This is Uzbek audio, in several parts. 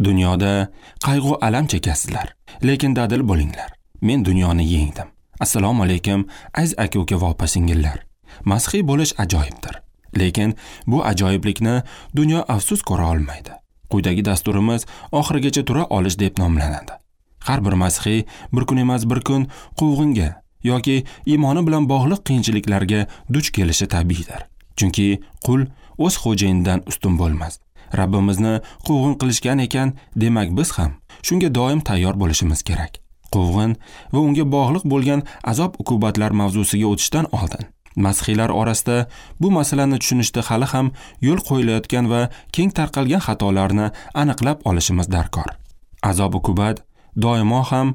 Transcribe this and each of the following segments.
Dunyoda qayg'u alam chekasizlar, lekin dadil bo'linglar. Men dunyoni yengdim. Assalomu alaykum, aziz aka-uka va opa-singillar. Masihiy bo'lish ajoyibdir. Lekin bu ajoyiblikni dunyo afsus ko'ra olmaydi. Quyidagi dasturimiz oxirigacha tura olish deb nomlanadi. Har bir masihiy bir kun emas bir kun quvg'inga yoki iymoni bilan bog'liq qiyinchiliklarga duch kelishi tabiiydir. Chunki qul o'z xo'jayinidan ustun bo'lmas. Rabbimizni quvg'in qilishgan ekan, demak biz ham shunga doim tayyor bo'lishimiz kerak. Quvg'in va unga bog'liq bo'lgan azob-uqubatlar mavzusiga o'tishdan oldin masihiylar orasida bu masalani tushunishda hali ham yo'l qo'yilayotgan va keng tarqalgan xatolarni aniqlab olishimiz darkor. Azob-uqubat doimo ham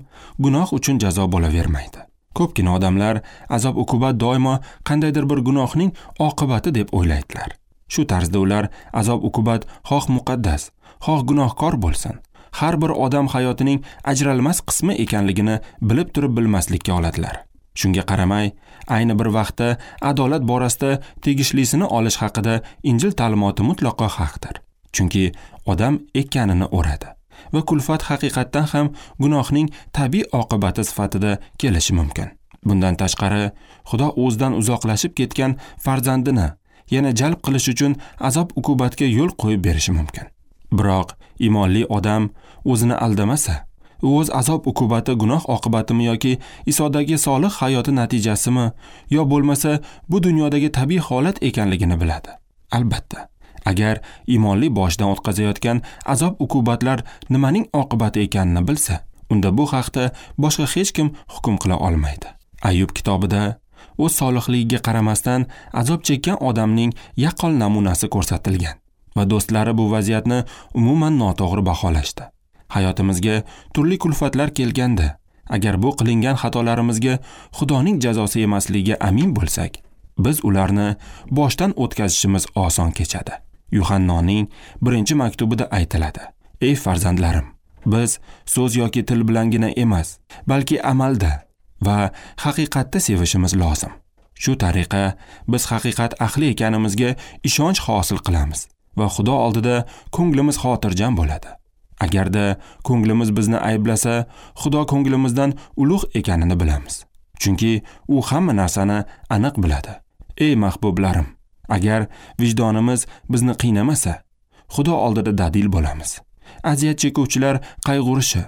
gunoh uchun jazo bo'lavermaydi. Ko'pgina odamlar azob-uqubat doimo qandaydir bir gunohning oqibati deb o'ylaydilar. Shu tarzda ular azob-uqubat xoh muqaddas, xoh gunohkor bo'lsin, har bir odam hayotining ajralmas qismi ekanligini bilib turib bilmaslikka oladilar. Shunga qaramay, ayni bir vaqtda adolat borasida tegishlisini olish haqida Injil ta'limoti mutlaqo haqdir. Chunki odam ekkanini o'radi va kulfat haqiqatdan ham gunohning tabiiy oqibati sifatida kelishi mumkin. Bundan tashqari, Xudo o'zidan uzoqlashib ketgan farzandini yana jalb qilish uchun azob-uqubatga yo'l qo'yib berishi mumkin. Biroq iymonli odam o'zini aldamasa, u o'z azob-uqubati gunoh oqibatimi yoki Isodagi solih hayoti natijasimi yo bo'lmasa bu dunyodagi tabiiy holat ekanligini biladi. Albatta, agar iymonli boshidan o'tkazayotgan azob-uqubatlar nimaning oqibati ekanini bilsa, unda bu haqda boshqa hech kim hukm qila olmaydi. Ayub kitobida o'z solihligiga qaramasdan azob chekkan odamning yaqqol namunasi ko'rsatilgan va do'stlari bu vaziyatni umuman noto'g'ri baholashdi. Hayotimizga turli kulfatlar kelganda, agar bu qilingan xatolarimizga Xudoning jazosi emasligiga amin bo'lsak, biz ularni boshdan o'tkazishimiz oson kechadi. Yuhannoning 1-maktubida aytiladi: Ey farzandlarim, biz so'z yoki til bilangina emas, balki amalda va haqiqatda sevishimiz lozim. Shu tariqa biz haqiqat ahli ekanimizga ishonch hosil qilamiz va Xudo oldida ko'nglimiz xotirjam bo'ladi. Agarda ko'nglimiz bizni ayblasa, Xudo ko'nglimizdan ulug' ekanini bilamiz. Chunki u hamma narsani aniq biladi. Ey mahbublarim, agar vijdonimiz bizni qiynamasa, Xudo oldida dadil bo'lamiz. Aziyat chekuvchilar qayg'urishi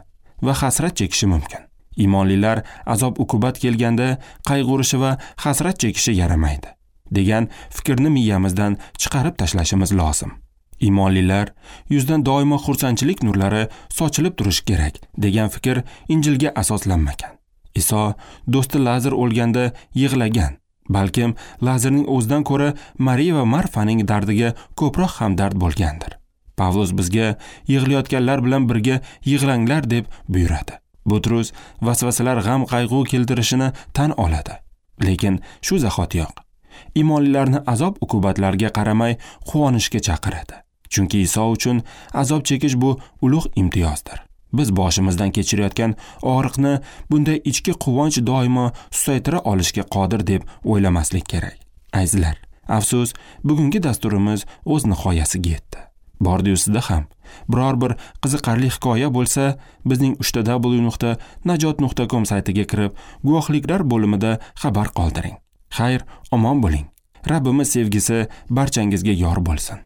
va hasrat chekishi mumkin. Iymonlilar azob-uqubat kelganda qayg'urishi va hasrat chekishi yaramaydi degan fikrni miyamizdan chiqarib tashlashimiz lozim. Iymonlilar yuzdan doimo xursandchilik nurlari sochilib turishi kerak degan fikr Injilga asoslanmagan. Iso do'sti Lazar o'lganda yig'lagan. Balkim Lazarning o'zidan ko'ra Mariya va Marfaning dardiga ko'proq hamdard bo'lgandir. Pavlus bizga yig'layotganlar bilan birga yig'langlar deb buyuradi. Butrus vasvasalar g'am qayg'u keltirishini tan oladi. Lekin shu zahotiyoq iymonlilarni azob-uqubatlarga qaramay quvonishga chaqiradi. Chunki Iso uchun azob chekish bu ulug' imtiyozdir. Biz boshimizdan kechirayotgan og'riqni bunday ichki quvonch doimo susaytira olishga qodir deb o'ylamaslik kerak. Azizlar, afsus, bugungi dasturimiz o'z nihoyasiga yetdi. Bordi-yu sizda ham biror bir qiziqarli hikoya bo'lsa, bizning www.najot.com saytiga kirib, guvohliklar bo'limida xabar qoldiring. Xayr, omon bo'ling. Rabbimiz sevgisi barchangizga yor bo'lsin.